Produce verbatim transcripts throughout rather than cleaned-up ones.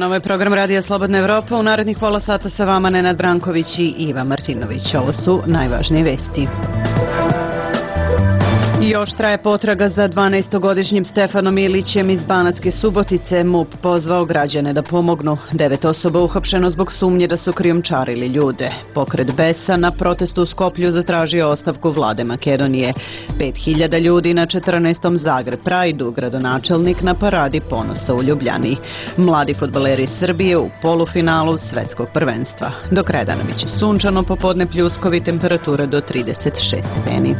dan, ovo je program Radija Slobodna Evropa. U narednih pola sata sa vama Nenad Branković i Iva Martinović. Ovo su najvažnije vesti. Još traje potraga za dvanaestogodišnjim Stefanom Ilićem iz Banatske Subotice. MUP pozvao građane da pomognu. Devet osoba uhapšeno zbog sumnje da su krijumčarili ljude. Pokret Besa na protestu u Skoplju zatražio ostavku vlade Makedonije. Pet hiljada ljudi na četrnaestom Zagreb Prajdu, gradonačelnik na paradi ponosa u Ljubljani. Mladi fudbaleri Srbije u polufinalu svetskog prvenstva. Do kraja dana biće sunčano, popodne pljuskovi, temperature do trideset šest stepeni.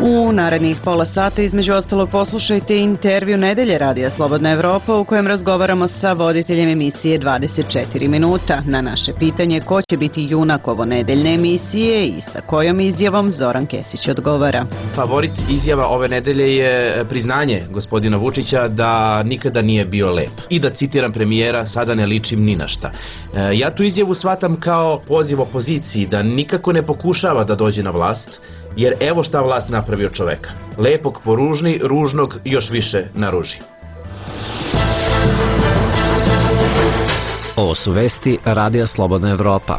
U narednih pola sata između ostalog poslušajte intervju Nedelje Radija Slobodna Evropa u kojem razgovaramo sa voditeljem emisije dvadeset četiri minuta. Na naše pitanje ko će biti junak ovo nedeljne emisije i sa kojom izjavom Zoran Kesić odgovara. Favorit izjava ove nedelje je priznanje gospodina Vučića da nikada nije bio lep. I da citiram premijera, sada ne ličim ni na šta. Ja tu izjavu shvatam kao poziv opoziciji da nikako ne pokušava da dođe na vlast, jer evo šta vlast napravio čoveka. Lepog poružni, ružnog još više naruži. Ovo su vesti Radija Slobodna Evropa.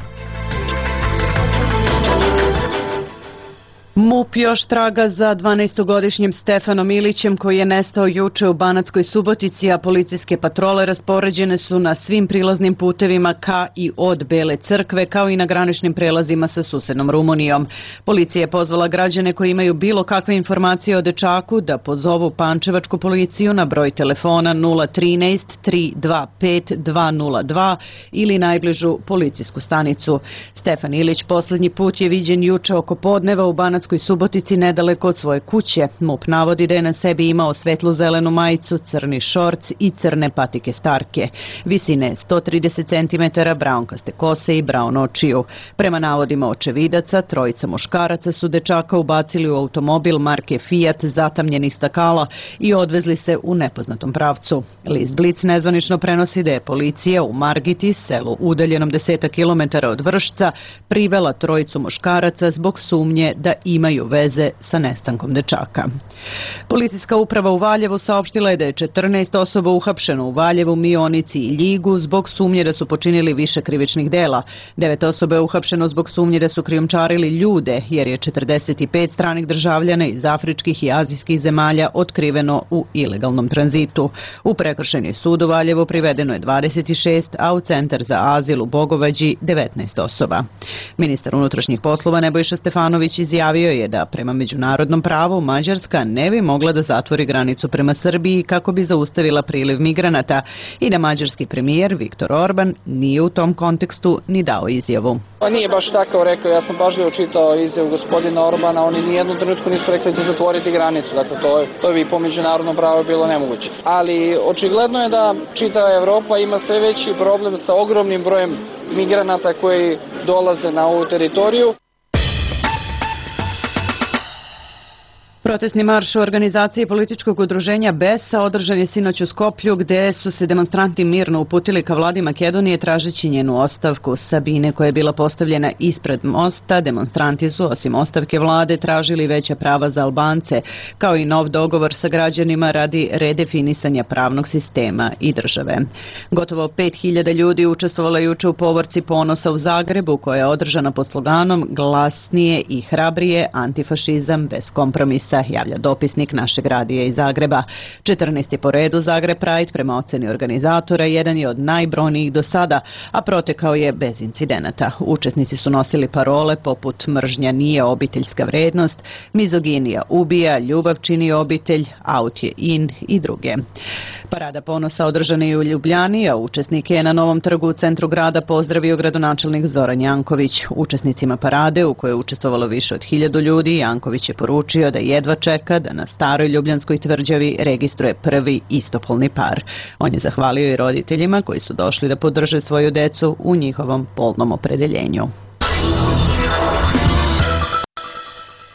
MUP još traga za dvanaestogodišnjim Stefanom Ilićem koji je nestao juče u Banatskoj Subotici, a policijske patrole raspoređene su na svim prilaznim putevima ka i od Bele crkve, kao i na graničnim prelazima sa susednom Rumunijom. Policija je pozvala građane koji imaju bilo kakve informacije o dečaku da pozovu pančevačku policiju na broj telefona nula trinaest tri dva pet dva nula dva ili najbližu policijsku stanicu. Stefan Ilić poslednji put je viđen juče oko podneva u Banatskoj Subotici nedaleko od svoje kuće. MUP navodi da je na sebi imao svetlo-zelenu majicu, crni šorc i crne patike starke. Visine sto trideset centimetara, braunkaste kose i braun očiju. Prema navodima očevidaca, trojica muškaraca su dečaka ubacili u automobil marke Fiat zatamnjenih stakala i odvezli se u nepoznatom pravcu. List Blic nezvanično prenosi da je policija u Margiti, selu udaljenom desetak kilometara od Vršca, privela trojicu muškaraca zbog sumnje da imaju veze sa nestankom dečaka. Policijska uprava u Valjevu saopštila je da je četrnaest osoba uhapšeno u Valjevu, Mionici i Ljigu zbog sumnje da su počinili više krivičnih dela. Devet osoba je uhapšeno zbog sumnje da su krijumčarili ljude, jer je četrdeset pet stranih državljana iz afričkih i azijskih zemalja otkriveno u ilegalnom tranzitu. U prekršajni sud u Valjevu privedeno je dvadeset šest, a u centar za azil u Bogovađi devetnaest osoba. Ministar unutrašnjih poslova Nebojša Stefanović izjavio je da prema međunarodnom pravu Mađarska ne bi mogla da zatvori granicu prema Srbiji kako bi zaustavila priliv migranata i da mađarski premijer Viktor Orban nije u tom kontekstu ni dao izjavu. Pa nije baš tako rekao, ja sam pažljivo čitao izjavu gospodina Orbana, oni ni jednu trenutku nisu rekli da će zatvoriti granicu, dakle to je, to bi po međunarodnom pravu bilo nemoguće. Ali očigledno je da čitava Evropa ima sve veći problem sa ogromnim brojem migranata koji dolaze na ovu teritoriju. Protestni marš u organizaciji političkog udruženja Besa održan je sinoć u Skoplju, gde su se demonstranti mirno uputili ka vladi Makedonije tražeći njenu ostavku. Sabine, koja je bila postavljena ispred mosta, demonstranti su osim ostavke vlade tražili veća prava za Albance, kao i nov dogovor sa građanima radi redefinisanja pravnog sistema i države. Gotovo pet hiljada ljudi učestvovalo juče u povorci ponosa u Zagrebu, koja je održana pod sloganom "Glasnije i hrabrije, antifašizam bez kompromisa", javlja dopisnik našeg radija iz Zagreba. četrnaesti po redu Zagreb Pride prema oceni organizatora jedan je od najbrojnijih do sada, a protekao je bez incidenata. Učesnici su nosili parole poput "Mržnja nije obiteljska vrednost", "Mizoginija ubija", "Ljubav čini obitelj", "Aut je in" i druge. Parada ponosa održana je u Ljubljani, a učesnike je na Novom trgu u centru grada pozdravio gradonačelnik Zoran Janković. Učesnicima parade, u kojoj je učestvovalo više od hiljadu ljudi, Janković je poručio da jedva čeka da na staroj Ljubljanskoj tvrđavi registruje prvi istopolni par. On je zahvalio i roditeljima koji su došli da podrže svoju decu u njihovom polnom opredeljenju.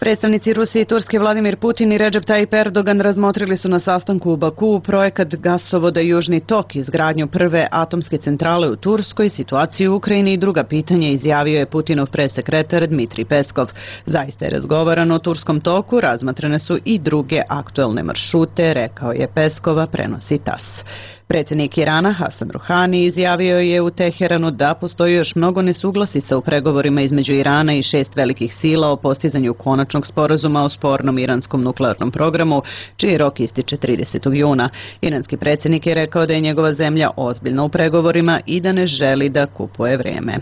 Predstavnici Rusije i Turske Vladimir Putin i Recep Tayyip Erdogan razmotrili su na sastanku u Bakuu projekat gasovoda Južni tok, izgradnju prve atomske centrale u Turskoj, situaciju u Ukrajini i druga pitanja, izjavio je Putinov presekretar Dmitrij Peskov. Zaista je razgovarano o Turskom toku, razmatrane su i druge aktuelne maršrute, rekao je Peskova, prenosi tas. Predsjednik Irana Hasan Ruhani izjavio je u Teheranu da postoji još mnogo nesuglasica u pregovorima između Irana i šest velikih sila o postizanju konačnog sporazuma o spornom iranskom nuklearnom programu, čiji rok ističe tridesetog juna. Iranski predsjednik je rekao da je njegova zemlja ozbiljna u pregovorima i da ne želi da kupuje vrijeme.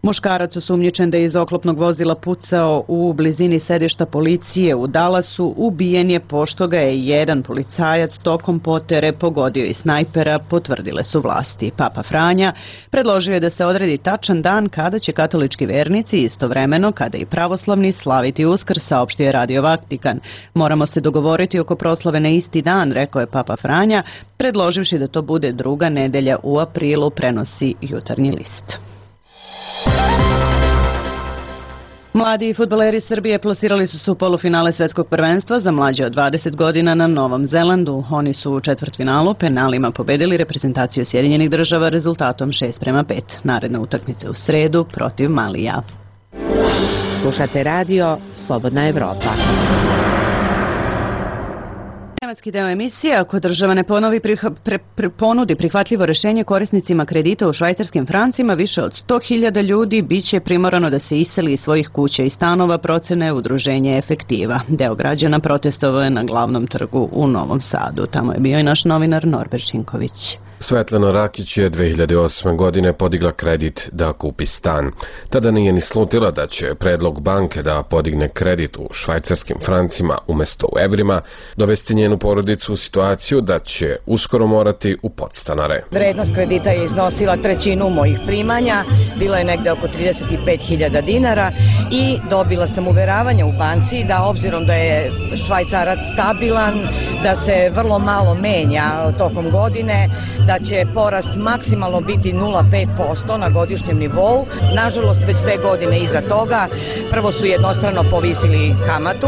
Muškarac osumnjičen da je iz oklopnog vozila pucao u blizini sedišta policije u Dallasu ubijen je pošto ga je jedan policajac tokom potere pogodio i snajpera, potvrdile su vlasti. Papa Franja predložio je da se odredi tačan dan kada će katolički vernici istovremeno kada i pravoslavni slaviti Uskrs, saopštio je Radio Vatikan. Moramo se dogovoriti oko proslave na isti dan, rekao je Papa Franja, predloživši da to bude druga nedelja u aprilu, prenosi Jutarnji list. Mladi fudbaleri Srbije plasirali su se u polufinale svetskog prvenstva za mlađe od dvadeset godina na Novom Zelandu. Oni su u četvrtfinalu penalima pobedili reprezentaciju Sjedinjenih Država rezultatom šest prema pet. Naredna utakmica u sredu protiv Malija. Slušate radio Slobodna Evropa. Tematski deo emisije, ako država ne ponovi priha, pre, pre, ponudi prihvatljivo rešenje korisnicima kredita u švajcarskim francima, više od sto hiljada ljudi biće primorano da se iseli iz svojih kuća i stanova, procene udruženje Efektiva. Deo građana protestovao je na glavnom trgu u Novom Sadu. Tamo je bio i naš novinar Norbert Šinković. Svetlana Rakić je dve hiljade osme. godine podigla kredit da kupi stan. Tada nije ni slutila da će predlog banke da podigne kredit u švajcarskim francima umesto u evrima dovesti njenu porodicu u situaciju da će uskoro morati u podstanare. Vrednost kredita je iznosila trećinu mojih primanja, bilo je negde oko trideset pet hiljada dinara i dobila sam uveravanje u banci da obzirom da je švajcarac stabilan, da se vrlo malo menja tokom godine, da će porast maksimalno biti nula zarez pet posto na godišnjem nivou. Nažalost, već dve godine iza toga, prvo su jednostrano povisili kamatu,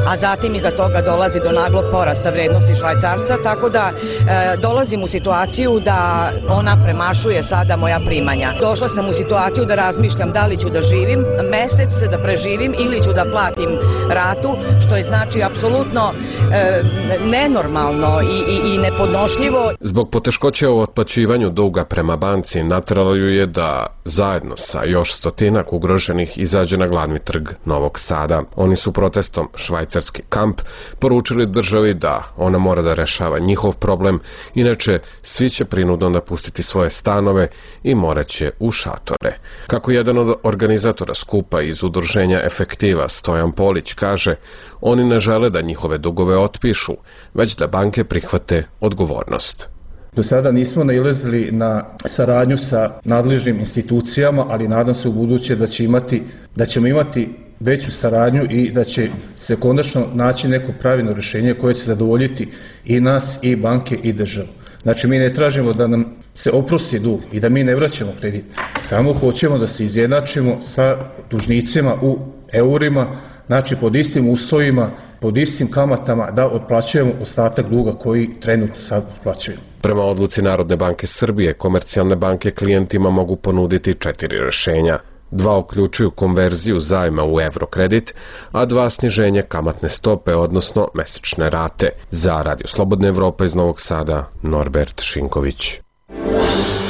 a zatim iza toga dolazi do naglog porasta vrednosti švajcarca, tako da e, dolazim u situaciju da ona premašuje sada moja primanja. Došla sam u situaciju da razmišljam da li ću da živim mesec, da preživim ili ću da platim ratu, što je znači apsolutno e, nenormalno i, i, i nepodnošljivo. Zbog poteškoća u otplaćivanju duga prema banci nateralo ju je da zajedno sa još stotinak ugroženih izađe na glavni trg Novog Sada. Oni su protestom Švajcarski kamp poručili državi da ona mora da rešava njihov problem, inače svi će prinudno napustiti svoje stanove i moraće u šatore. Kako jedan od organizatora skupa iz udruženja Efektiva, Stojan Polić, kaže, oni ne žele da njihove dugove otpišu, već da banke prihvate odgovornost. Do sada nismo nailazili na saradnju sa nadležnim institucijama, ali nadam se u buduće da će imati, da ćemo imati veću saradnju i da će se konačno naći neko pravilno rješenje koje će zadovoljiti i nas, i banke, i državu. Znači, mi ne tražimo da nam se oprosti dug i da mi ne vraćamo kredit. Samo hoćemo da se izjednačimo sa dužnicima u eurima, znači pod istim uslovima, pod istim kamatama da otplaćujemo ostatak duga koji trenutno sad otplaćujemo. Prema odluci Narodne banke Srbije, komercijalne banke klijentima mogu ponuditi četiri rešenja. Dva uključuju konverziju zajma u evrokredit, a dva sniženje kamatne stope, odnosno mesečne rate. Za Radio Slobodna Evropa iz Novog Sada, Norbert Šinković.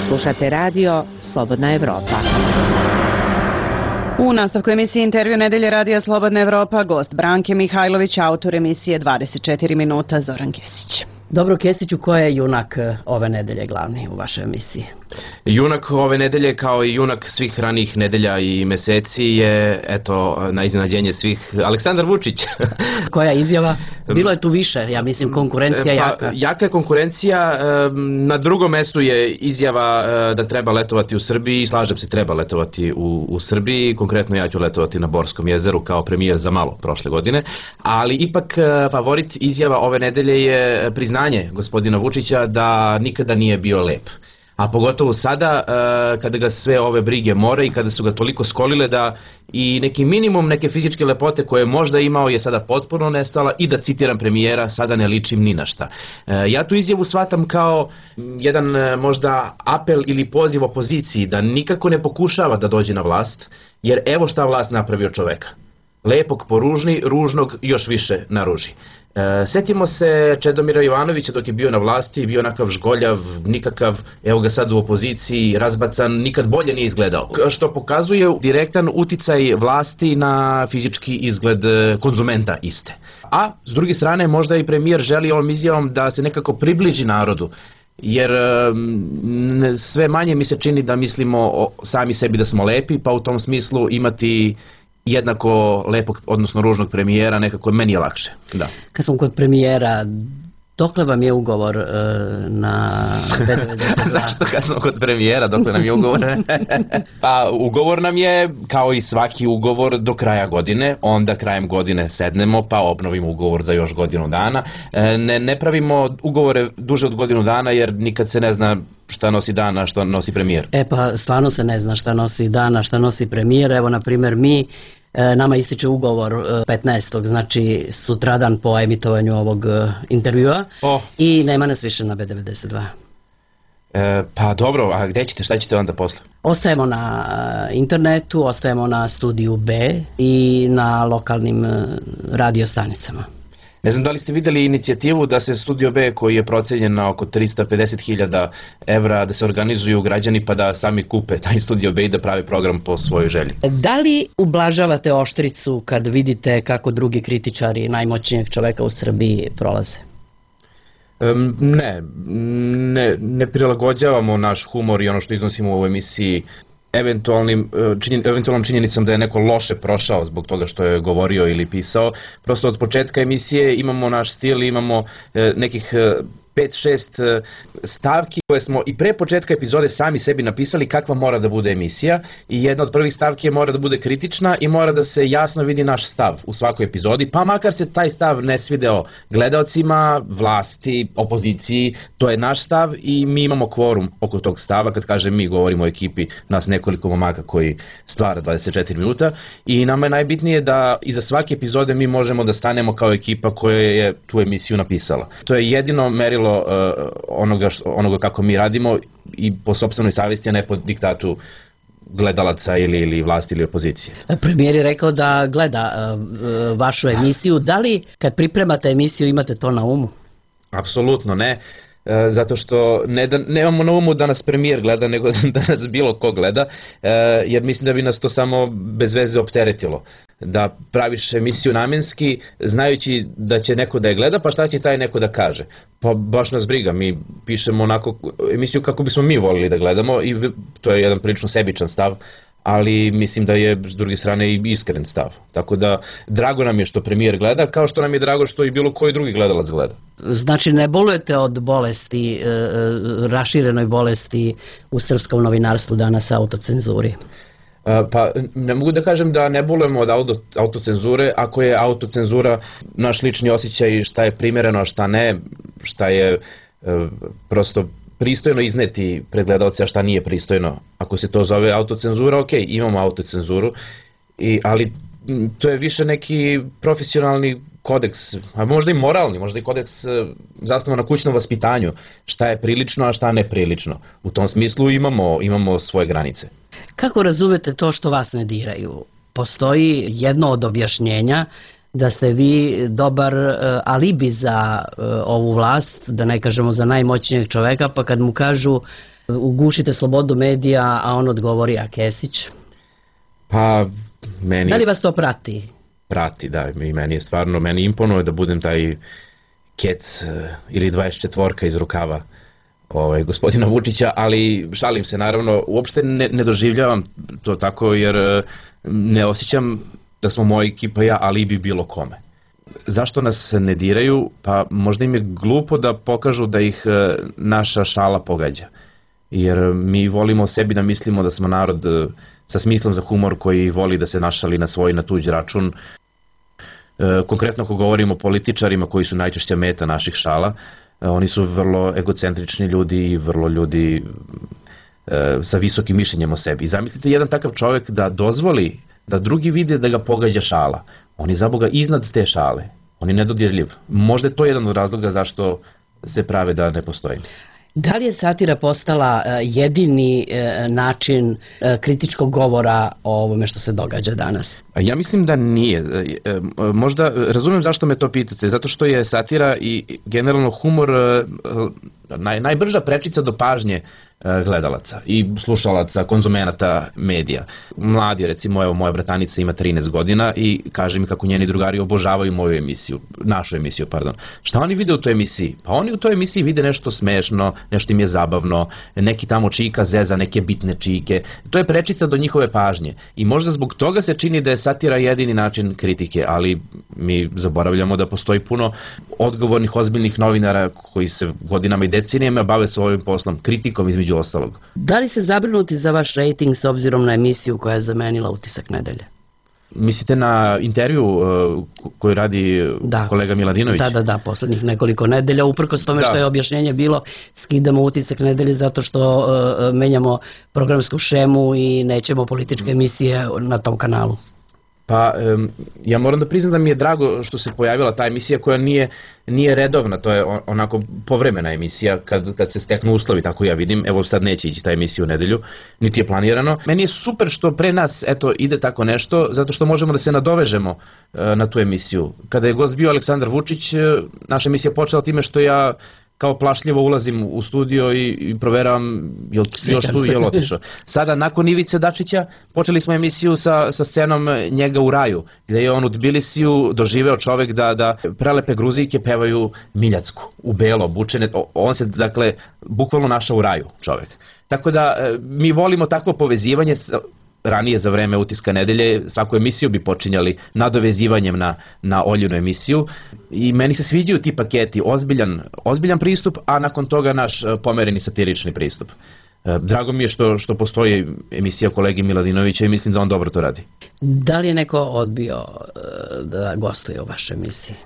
Slušate radio Slobodna Evropa. U nastavku emisije Intervju nedelje Radija Slobodna Evropa, gost Branke Mihajlović, autor emisije dvadeset četiri minuta, Zoran Kesić. Dobro, Kesiću, ko je junak ove nedelje glavni u vašoj emisiji? Junak ove nedelje, kao i junak svih ranijih nedelja i meseci, je, eto, na iznenađenje svih, Aleksandar Vučić. Koja izjava? Bilo je tu više, ja mislim, konkurencija jaka. Pa, jaka je konkurencija, na drugom mestu je izjava da treba letovati u Srbiji, slažem se, treba letovati u, u Srbiji, konkretno ja ću letovati na Borskom jezeru kao premijer za malo prošle godine, ali ipak favorit izjava ove nedelje je priznanje gospodina Vučića da nikada nije bio lep. A pogotovo sada kada ga sve ove brige more i kada su ga toliko skolile da i neki minimum neke fizičke lepote koje je možda imao je sada potpuno nestala i da citiram premijera, sada ne ličim ni na šta. Ja tu izjavu shvatam kao jedan možda apel ili poziv opoziciji da nikako ne pokušava da dođe na vlast, jer evo šta vlast napravi od čoveka. Lepog poružni, ružnog još više naruži. E, setimo se Čedomira Jovanovića dok je bio na vlasti, bio onakav žgoljav, nikakav, evo ga sad u opoziciji, razbacan, nikad bolje nije izgledao. Što pokazuje direktan uticaj vlasti na fizički izgled konzumenta iste. A s druge strane možda i premijer želi ovom izjavom da se nekako približi narodu, jer m, sve manje mi se čini da mislimo o sami sebi da smo lepi, pa u tom smislu imati jednako lepog, odnosno ružnog premijera, nekako meni je lakše. Da. Kad smo kod premijera, dokle vam je ugovor uh, na B devedeset dva? Zašto kad smo kod premijera, dokle nam je ugovor? Pa ugovor nam je, kao i svaki ugovor, do kraja godine, onda krajem godine sednemo pa obnovimo ugovor za još godinu dana. Ne, ne pravimo ugovore duže od godinu dana jer nikad se ne zna šta nosi dan, a šta nosi premijer. E pa stvarno se ne zna šta nosi dan, a šta nosi premijer. Evo na primjer mi, nama ističe ugovor petnaestog znači sutradan po emitovanju ovog intervjua oh. i nema nas više na B devedeset dva. E, pa dobro, a gde ćete, šta ćete onda posle? Ostajemo na internetu, ostajemo na studiju B i na lokalnim radio stanicama. Ne znam da li ste videli inicijativu da se Studio B, koji je procenjen na oko trista pedeset hiljada evra, da se organizuju građani pa da sami kupe taj Studio B i da prave program po svojoj želji. Da li ublažavate oštricu kad vidite kako drugi kritičari najmoćnijeg čoveka u Srbiji prolaze? Um, ne, ne, ne prilagođavamo naš humor i ono što iznosimo u ovoj emisiji eventualnim, činjen, eventualnom činjenicom da je neko loše prošao zbog toga što je govorio ili pisao. Prosto od početka emisije imamo naš stil, imamo e, nekih e, pet šest stavki koje smo i pre početka epizode sami sebi napisali kakva mora da bude emisija i jedna od prvih stavki je mora da bude kritična i mora da se jasno vidi naš stav u svakoj epizodi, pa makar se taj stav ne svideo gledaocima, vlasti, opoziciji, to je naš stav i mi imamo kvorum oko tog stava. Kad kažem mi, govorimo o ekipi nas nekoliko momaka koji stvara dvadeset četiri minuta i nama je najbitnije da iza svake epizode mi možemo da stanemo kao ekipa koja je tu emisiju napisala. To je jedino merilo Uh, onoga, što, onoga kako mi radimo i po sopstvenoj savesti, a ne po diktatu gledalaca ili, ili vlasti ili opozicije. Premijer je rekao da gleda uh, vašu emisiju. Da li kad pripremate emisiju imate to na umu? Apsolutno ne. Uh, zato što ne da, nemamo na umu da nas premijer gleda, nego da nas bilo ko gleda, uh, jer mislim da bi nas to samo bez veze opteretilo. Da praviš emisiju namenski, znajući da će neko da je gleda, pa šta će taj neko da kaže? Pa baš nas briga, mi pišemo onako emisiju kako bismo mi volili da gledamo i to je jedan prilično sebičan stav, ali mislim da je s druge strane i iskren stav. Tako da drago nam je što premijer gleda, kao što nam je drago što i bilo koji drugi gledalac gleda. Znači ne bolujete od bolesti, e, raširenoj bolesti u srpskom novinarstvu danas, autocenzuri? Pa ne mogu da kažem da ne bolujemo od auto, autocenzure, ako je autocenzura naš lični osjećaj šta je primereno, a šta ne, šta je e, prosto pristojno izneti pred gledalce, a šta nije pristojno. Ako se to zove autocenzura, ok, imamo autocenzuru, i, ali to je više neki profesionalni kodeks, a možda i moralni, možda i kodeks zasnovan na kućnom vaspitanju, šta je prilično, a šta neprilično. U tom smislu imamo, imamo svoje granice. Kako razumete to što vas ne diraju? Postoji jedno od objašnjenja da ste vi dobar uh, alibi za uh, ovu vlast, da ne kažemo za najmoćnijeg čoveka, pa kad mu kažu ugušite slobodu medija, a on odgovori a Kesić? Pa meni... Da li vas to prati? Prati, da, i meni je stvarno, meni imponuje da budem taj kec uh, ili dvadeset četvorka iz rukava ovaj, gospodina Vučića, ali šalim se naravno, uopšte ne, ne doživljavam to tako jer uh, ne osjećam da smo moja ekipa ja alibi bilo kome. Zašto nas ne diraju? Pa možda im je glupo da pokažu da ih uh, naša šala pogađa. Jer mi volimo sebi da mislimo da smo narod uh, sa smislom za humor koji voli da se našali na svoj na tuđ račun. E, konkretno ako govorimo o političarima koji su najčešća meta naših šala, e, oni su vrlo egocentrični ljudi i vrlo ljudi e, sa visokim mišljenjem o sebi. I zamislite jedan takav čovjek da dozvoli da drugi vide da ga pogađa šala. On je za Boga iznad te šale. On je nedodirljiv. Možda je to jedan od razloga zašto se prave da ne postoji. Da li je satira postala jedini način kritičkog govora o ovome što se događa danas? Ja mislim da nije. Možda razumem zašto me to pitate, zato što je satira i generalno humor naj, najbrža prečica do pažnje gledalaca i slušalaca, konzumenata medija. Mladi, recimo, evo, moja bratanica ima trinaest godina i kaže mi kako njeni drugari obožavaju moju emisiju, našu emisiju, pardon. Šta oni vide u toj emisiji? Pa oni u toj emisiji vide nešto smešno, nešto im je zabavno, neki tamo čika zeza, neke bitne čike. To je prečica do njihove pažnje i možda zbog toga se čini da je satira jedini način kritike, ali mi zaboravljamo da postoji puno odgovornih, ozbiljnih novinara koji se godinama i decenijama bave svojim poslom, kritikom između ostalog. Da li ste zabrinuti za vaš rejting s obzirom na emisiju koja je zamenila Utisak nedelje? Mislite na intervju uh, koju radi da. kolega Miladinović? Da, da, da, poslednjih nekoliko nedelja, uprkos tome da. Što je objašnjenje bilo, skidamo Utisak nedelje zato što uh, menjamo programsku šemu i nećemo političke emisije na tom kanalu. Pa um, ja moram da priznam da mi je drago što se pojavila ta emisija koja nije, nije redovna, to je onako povremena emisija kad, kad se steknu uslovi, tako ja vidim. Evo sad neće ići ta emisija u nedelju, niti je planirano. Meni je super što pre nas eto ide tako nešto, zato što možemo da se nadovežemo uh, na tu emisiju. Kada je gost bio Aleksandar Vučić, uh, naša emisija počela time što ja kao plašljivo ulazim u studio i, i proveravam je li još tu, je li otišao. Sada, nakon Ivice Dačića, počeli smo emisiju sa, sa scenom njega u raju, gde je on u Tbilisiju doživeo čovek da, da prelepe Gruzijke pevaju Miljacku, u belo, obučene. On se, dakle, bukvalno našao u raju čovek. Tako da, mi volimo takvo povezivanje. Ranije za vreme Utiska nedelje svaku emisiju bi počinjali nadovezivanjem na, na Oljinu emisiju i meni se sviđaju ti paketi, ozbiljan, ozbiljan pristup, a nakon toga naš pomereni satirični pristup. Drago mi je što, što postoji emisija kolegi Miladinovića i mislim da on dobro to radi. Da li je neko odbio da gostuje u vašoj emisiji?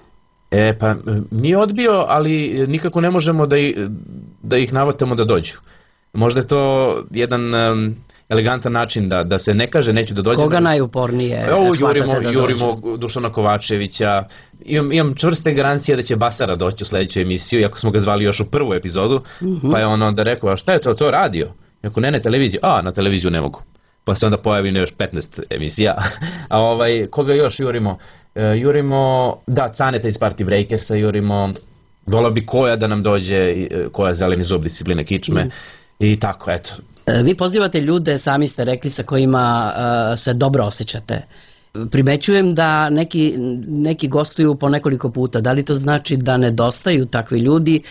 E pa nije odbio, ali nikako ne možemo da, i, da ih navatamo da dođu. Možda je to jedan um, elegantan način da, da se ne kaže neću da dođe. Koga najupornije Evo, hvatate jurimo, da jurimo dođe? Dušana Kovačevića, imam, imam čvrste garancije da će Basara doći u sledeću emisiju, iako smo ga zvali još u prvu epizodu, mm-hmm. pa je on onda rekao, a šta je to, to radio? Ako ne na televiziju, a na televiziju ne mogu. Pa se onda pojavi još petnaest emisija. A ovaj, koga još jurimo? E, jurimo, da, Caneta iz Party Breakersa, jurimo, volao bi Koja da nam dođe, Koja zeleni zub discipline kičme, mm. i tako, eto. Vi pozivate ljude, sami ste rekli, sa kojima uh, se dobro osjećate. Primećujem da neki, neki gostuju po nekoliko puta. Da li to znači da nedostaju takvi ljudi,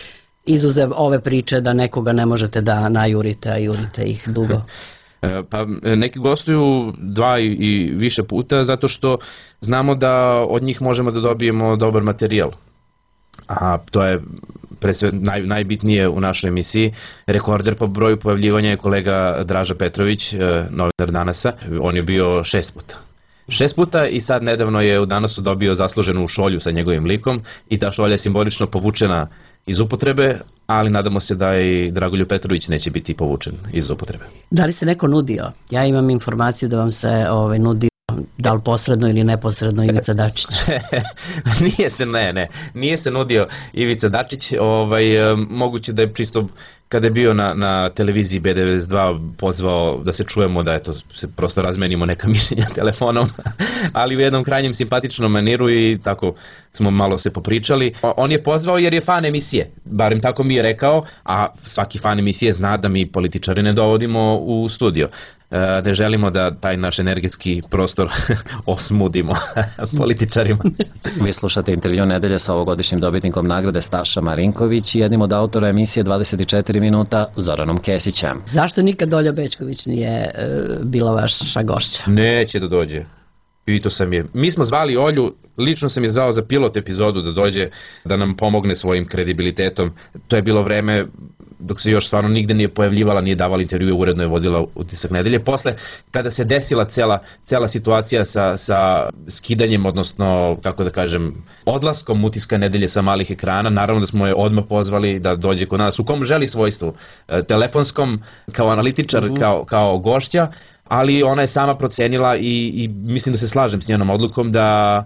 izuzev ove priče da nekoga ne možete da najurite, a jurite ih dugo? Pa neki gostuju dva i više puta zato što znamo da od njih možemo da dobijemo dobar materijal. A to je pre sve naj, najbitnije u našoj emisiji. Rekorder po broju pojavljivanja je kolega Draža Petrović, novinar Danasa. On je bio šest puta. Šest puta i sad nedavno je u Danasu dobio zasluženu šolju sa njegovim likom i ta šolja je simbolično povučena iz upotrebe, ali nadamo se da i Dragoljub Petrović neće biti povučen iz upotrebe. Da li se neko nudio? Ja imam informaciju da vam se ovaj, nudio, da li posredno ili neposredno, Ivica Dačić. nije se, ne, ne, nije se nudio Ivica Dačić, ovaj, moguće da je čisto kada je bio na, na televiziji B devedeset dva pozvao da se čujemo, da eto, se prosto razmenimo neka mišljenja telefonom, ali u jednom krajnjem simpatičnom maniru i tako smo malo se popričali. On je pozvao jer je fan emisije, barem tako mi je rekao, a svaki fan emisije zna da mi političari ne dovodimo u studio. Ne želimo da taj naš energetski prostor osmudimo političarima. Vi slušate intervju nedelje sa ovogodišnjim dobitnikom nagrade Staša Marinković i jednim od autora emisije dvadeset četiri minuta Zoranom Kesićem. Zašto nikad Olja Bećković nije e, bila vaša gošća? Neće da dođe. Pitao sam je. Mi smo zvali Olju, lično sam je zvao za pilot epizodu da dođe da nam pomogne svojim kredibilitetom. To je bilo vreme dok se još stvarno nigde nije pojavljivala, nije davala intervjue, uredno je vodila Utisak nedelje. Posle, kada se desila cela, cela situacija sa, sa skidanjem, odnosno, kako da kažem, odlaskom Utiska nedelje sa malih ekrana, naravno da smo je odmah pozvali da dođe kod nas, u kom želi svojstvu, telefonskom, kao analitičar, mm-hmm. kao, kao gošća, ali ona je sama procenila i, i mislim da se slažem s njenom odlukom da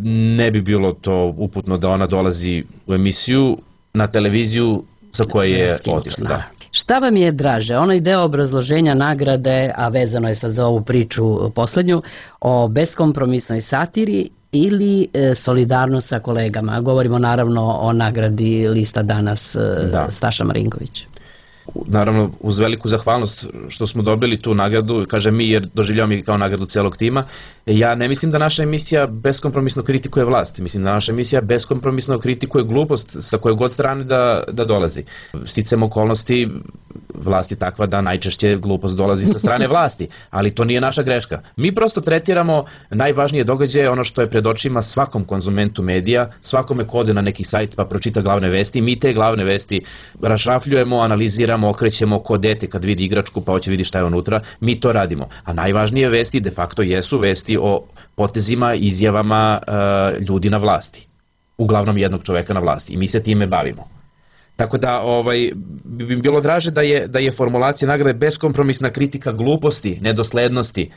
ne bi bilo to uputno da ona dolazi u emisiju na televiziju sa koje je otišla. Da. Šta vam je draže, onaj deo obrazloženja nagrade, a vezano je sad za ovu priču poslednju, o beskompromisnoj satiri ili e, solidarnost sa kolegama? Govorimo naravno o nagradi Lista danas e, da. Staša Marinković. Naravno, uz veliku zahvalnost što smo dobili tu nagradu, kažem mi jer doživljavamo i kao nagradu celog tima, ja ne mislim da naša emisija beskompromisno kritikuje vlast, mislim da naša emisija beskompromisno kritikuje glupost sa koje god strane da, da dolazi. Sticam okolnosti, vlast je takva da najčešće glupost dolazi sa strane vlasti, ali to nije naša greška. Mi prosto tretiramo najvažnije događaje, ono što je pred očima svakom konzumentu medija, svakome ko ode na neki sajt pa pročita glavne vesti, mi te glavne vesti rašrafljujemo, analiziramo, okrećemo ko dete kad vidi igračku pa hoće vidi šta je unutra, mi to radimo. A najvažnije vesti de facto jesu vesti o potezima, izjavama e, ljudi na vlasti. Uglavnom jednog čoveka na vlasti. I mi se time bavimo. Tako da ovaj, bi bilo draže da je, da je formulacija nagrade beskompromisna kritika gluposti, nedoslednosti,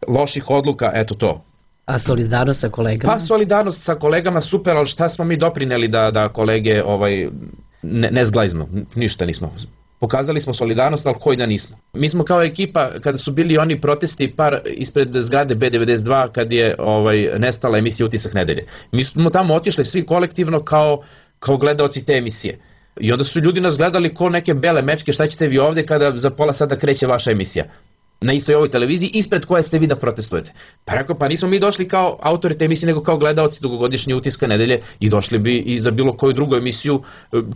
loših odluka, eto to. A solidarnost sa kolegama? Pa solidarnost sa kolegama super, ali šta smo mi doprineli da, da kolege ovaj, ne, ne zglajznu? Ništa nismo. Pokazali smo solidarnost, ali koji da nismo. Mi smo kao ekipa, kada su bili oni protesti par ispred zgrade B devedeset dva, kad je ovaj, nestala emisija Utisak nedelje. Mi smo tamo otišli svi kolektivno kao, kao gledaoci te emisije. I onda su ljudi nas gledali ko neke bele mečke, šta ćete vi ovde kada za pola sada kreće vaša emisija na istoj ovoj televiziji, ispred koje ste vi da protestujete. Pa rekao, pa nismo mi došli kao autori te emisije, nego kao gledaoci dugogodišnje Utiska nedelje i došli bi i za bilo koju drugu emisiju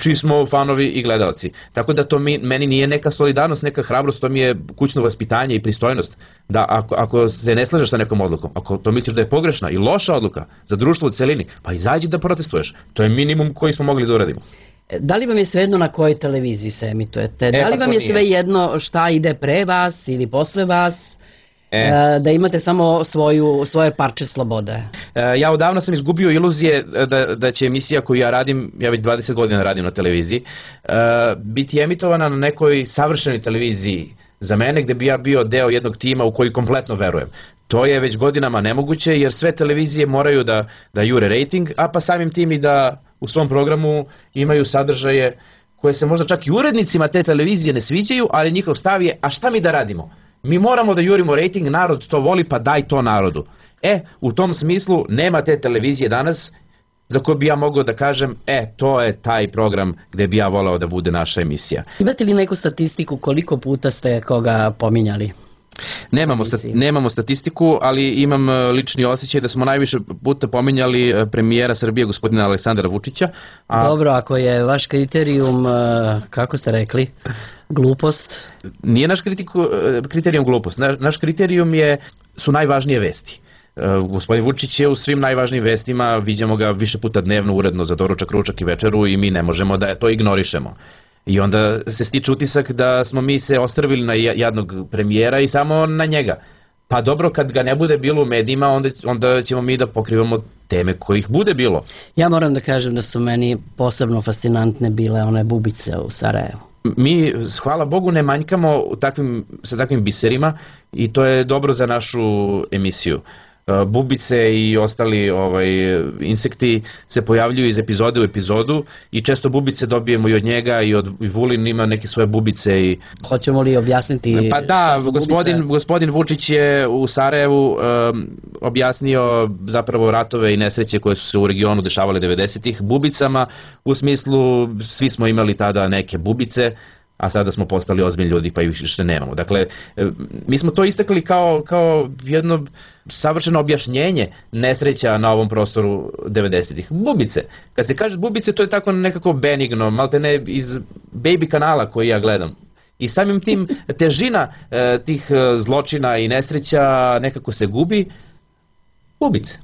čiji smo fanovi i gledaoci. Tako da to mi, meni nije neka solidarnost, neka hrabrost, to mi je kućno vaspitanje i pristojnost. Da ako, ako se ne slažeš sa nekom odlukom, ako to misliš da je pogrešna i loša odluka za društvo u celini, pa izađi da protestuješ. To je minimum koji smo mogli da uradimo. Da li vam je svejedno na kojoj televiziji se emitujete? E, da li vam je svejedno šta ide pre vas ili posle vas? E. Da imate samo svoju, svoje parče slobode? E, ja odavno sam izgubio iluzije da, da će emisija koju ja radim, ja već dvadeset godina radim na televiziji, e, biti emitovana na nekoj savršenoj televiziji za mene, gde bi ja bio deo jednog tima u koji kompletno verujem. To je već godinama nemoguće jer sve televizije moraju da, da jure rating, a pa samim tim i da u svom programu imaju sadržaje koje se možda čak i urednicima te televizije ne sviđaju, ali njihov stav je, a šta mi da radimo? Mi moramo da jurimo rating, narod to voli, pa daj to narodu. E, u tom smislu nema te televizije danas za koju bi ja mogao da kažem, e, to je taj program gde bi ja voleo da bude naša emisija. Imate li neku statistiku koliko puta ste koga pominjali? Nemamo, sta, nemamo statistiku, ali imam lični osjećaj da smo najviše puta pominjali premijera Srbije, gospodina Aleksandra Vučića. A... Dobro, ako je vaš kriterijum, kako ste rekli, glupost? Nije naš kritiku, kriterijum glupost, naš, naš kriterijum je, su najvažnije vesti. Gospodin Vučić je u svim najvažnijim vestima, vidimo ga više puta dnevno uredno za doručak, ručak i večeru i mi ne možemo da to ignorišemo. I onda se stiče utisak da smo mi se ostrvili na jednog premijera i samo na njega. Pa dobro, kad ga ne bude bilo u medijima, onda, onda ćemo mi da pokrivamo teme kojih bude bilo. Ja moram da kažem da su meni posebno fascinantne bile one bubice u Sarajevu. Mi, hvala Bogu, ne manjkamo takvim, sa takvim biserima i to je dobro za našu emisiju. Bubice i ostali ovaj, insekti se pojavljuju iz epizode u epizodu i često bubice dobijemo i od njega i od i Vulin ima neke svoje bubice. I... Hoćemo li objasniti? Pa da, gospodin, gospodin Vučić je u Sarajevu um, objasnio zapravo ratove i nesreće koje su se u regionu dešavale devedesetih bubicama, u smislu svi smo imali tada neke bubice, a sada smo postali ozbiljni ljudi pa ih što nemamo. Dakle, mi smo to istakli kao, kao jedno savršeno objašnjenje nesreća na ovom prostoru devedesetih. Bubice. Kad se kaže bubice, to je tako nekako benigno, malte ne iz baby kanala koji ja gledam. I samim tim težina e, tih zločina i nesreća nekako se gubi. Bubice.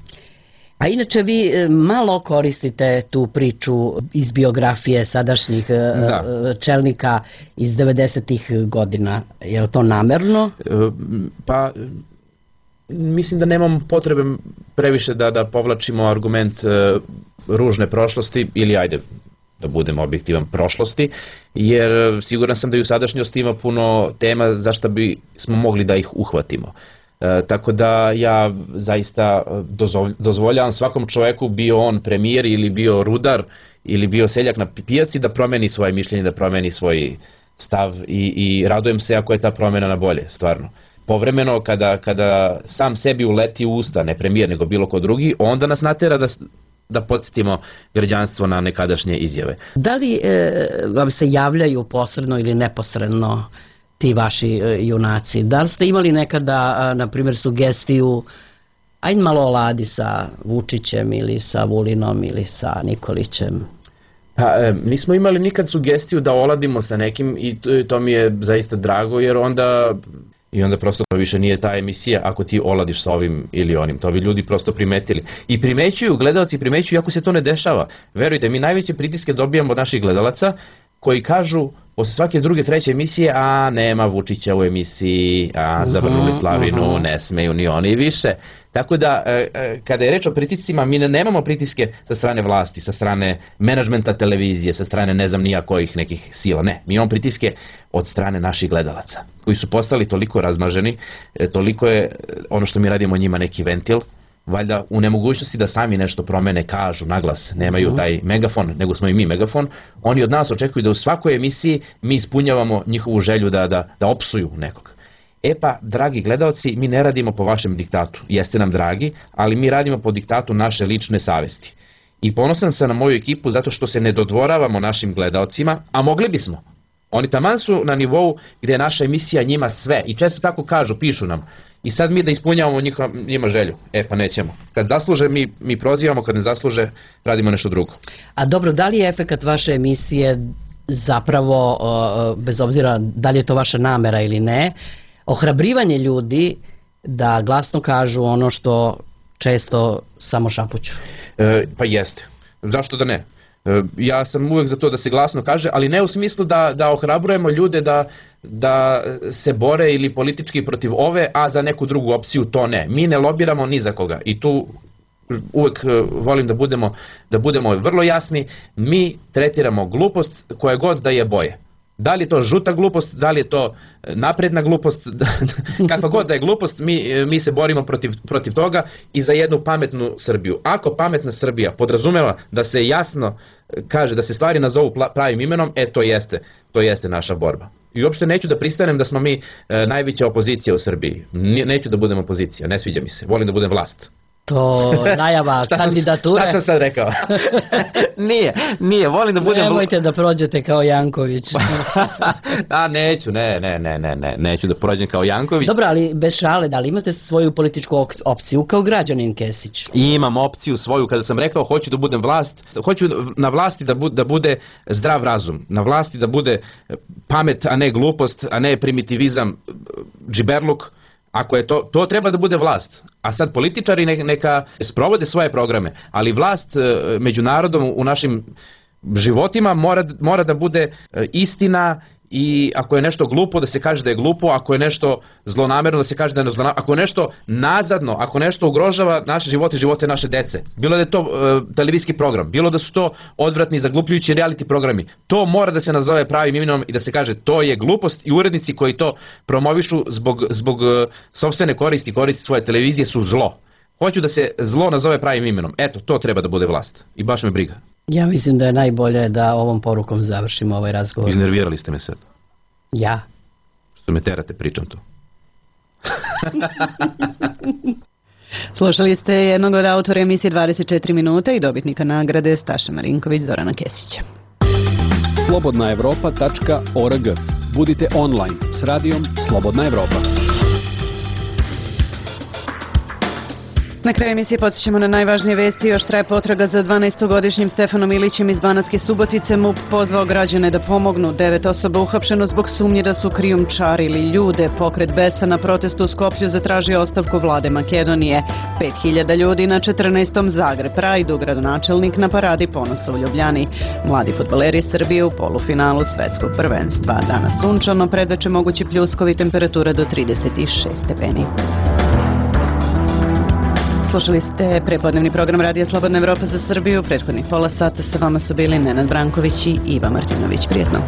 A inače vi malo koristite tu priču iz biografije sadašnjih da. čelnika iz devedesetih godina. Je li to namerno? Pa mislim da nemam potrebe previše da, da povlačimo argument ružne prošlosti ili ajde da budemo objektivan prošlosti, jer siguran sam da i u sadašnjosti ima puno tema zašto bi smo mogli da ih uhvatimo. E, tako da ja zaista dozvoljavam svakom čoveku, bio on premijer ili bio rudar ili bio seljak na pijaci, da promeni svoje mišljenje, da promeni svoj stav i, i radujem se ako je ta promjena na bolje, stvarno. Povremeno kada, kada sam sebi uleti u usta, ne premijer nego bilo ko drugi, onda nas natera da, da podsjetimo građanstvo na nekadašnje izjave. Da li e, vam se javljaju posredno ili neposredno ti vaši e, junaci? Da li ste imali nekada, a, na primjer, sugestiju ajde malo oladi sa Vučićem ili sa Vulinom ili sa Nikolićem? Pa, e, nismo imali nikad sugestiju da oladimo sa nekim i to, to mi je zaista drago jer onda... I onda prosto to više nije ta emisija ako ti oladiš sa ovim ili onim. To bi ljudi prosto primetili. I primećuju, gledalci primećuju ako se to ne dešava. Verujte, mi najveće pritiske dobijamo od naših gledalaca koji kažu posle svake druge, treće emisije, a nema Vučića u emisiji, a zavrnuli slavinu, uh-huh. ne smeju ni oni više. Tako da, e, kada je reč o pritiscima, mi ne, nemamo pritiske sa strane vlasti, sa strane menadžmenta televizije, sa strane ne znam nija kojih nekih sila. Ne, mi imamo pritiske od strane naših gledalaca, koji su postali toliko razmaženi, e, toliko je ono što mi radimo njima neki ventil, valjda u nemogućnosti da sami nešto promene, kažu naglas, nemaju taj megafon, nego smo i mi megafon, oni od nas očekuju da u svakoj emisiji mi ispunjavamo njihovu želju da, da, da opsuju nekog. E pa, dragi gledaoci, mi ne radimo po vašem diktatu, jeste nam dragi, ali mi radimo po diktatu naše lične savesti. I ponosan sam na moju ekipu zato što se ne dodvoravamo našim gledaocima, a mogli bismo. Oni taman su na nivou gdje je naša emisija njima sve i često tako kažu, pišu nam. I sad mi da ispunjavamo njihova, njima želju. E pa nećemo. Kad zasluže mi, mi prozivamo, kad ne zasluže radimo nešto drugo. A dobro, da li je efekat vaše emisije zapravo, bez obzira da li je to vaša namera ili ne, ohrabrivanje ljudi da glasno kažu ono što često samo šapuću? E, pa jeste. Zašto da ne? E, ja sam uvek za to da se glasno kaže, ali ne u smislu da, da ohrabrujemo ljude da, da se bore ili politički protiv ove, a za neku drugu opciju to ne. Mi ne lobiramo ni za koga i tu uvek volim da budemo, da budemo vrlo jasni. Mi tretiramo glupost koje god da je boje. Da li je to žuta glupost, da li je to napredna glupost, kakva god da je glupost, mi, mi se borimo protiv, protiv toga i za jednu pametnu Srbiju. Ako pametna Srbija podrazumeva da se jasno kaže da se stvari nazovu pravim imenom, e to jeste, to jeste naša borba. I uopšte neću da pristanem da smo mi e, najveća opozicija u Srbiji. Neću da budem opozicija, ne sviđa mi se, volim da budem vlast. To najava kandidature. Šta sam sad rekao? nije, nije, volim da budem... Nemojte da prođete kao Janković. A neću, ne, ne, ne, ne, ne, neću da prođem kao Janković. Dobro, ali bez šale, da li imate svoju političku opciju kao građanin Kesić? I imam opciju svoju, kada sam rekao hoću da budem vlast, hoću na vlasti da bude, da bude zdrav razum, na vlasti da bude pamet, a ne glupost, a ne primitivizam, džiberluk. Ako je to, to treba da bude vlast, a sad političari neka sprovode svoje programe, ali vlast među narodom u našim životima mora, mora da bude istina i ako je nešto glupo da se kaže da je glupo, ako je nešto zlonamerno da se kaže da je zlonamerno, ako je nešto nazadno, ako nešto ugrožava naše živote i živote naše dece, bilo da je to uh, televizijski program, bilo da su to odvratni zaglupljujući reality programi, to mora da se nazove pravim imenom i da se kaže to je glupost i urednici koji to promovišu zbog, zbog uh, sopstvene koristi, koristi svoje televizije su zlo. Hoću da se zlo nazove pravim imenom. Eto, to treba da bude vlast. I baš me briga. Ja mislim da je najbolje da ovom porukom završimo ovaj razgovor. Iznervirali ste me sad. Ja? Što me terate, pričam to. Slušali ste jednog od autora emisije dvadeset četiri minuta i dobitnika nagrade Staša Marinković, Zorana Kesića. slobodna evropa tačka org. Budite online s radijom Slobodna Evropa. Na kraju emisije podsjećamo na najvažnije vesti. Još traje potraga za dvanaestogodišnjim Stefanom Ilićem iz Banatske Subotice. M U P pozvao građane da pomognu. Devet osoba uhapšeno zbog sumnje da su krijumčarili ljude. Pokret Besa na protestu u Skoplju zatražio ostavku vlade Makedonije. Pet hiljada ljudi na četrnaestom Zagreb Prajdu. Gradonačelnik na paradi ponosa u Ljubljani. Mladi fudbaleri Srbije u polufinalu svetskog prvenstva. Danas sunčano, predveče mogući pljuskovi, temperatura do trideset šest stepeni. Slušali ste prepodnevni program Radija Slobodna Evropa za Srbiju. Prethodnih pola sata sa vama su bili Nenad Branković i Iva Martinović. Prijetno.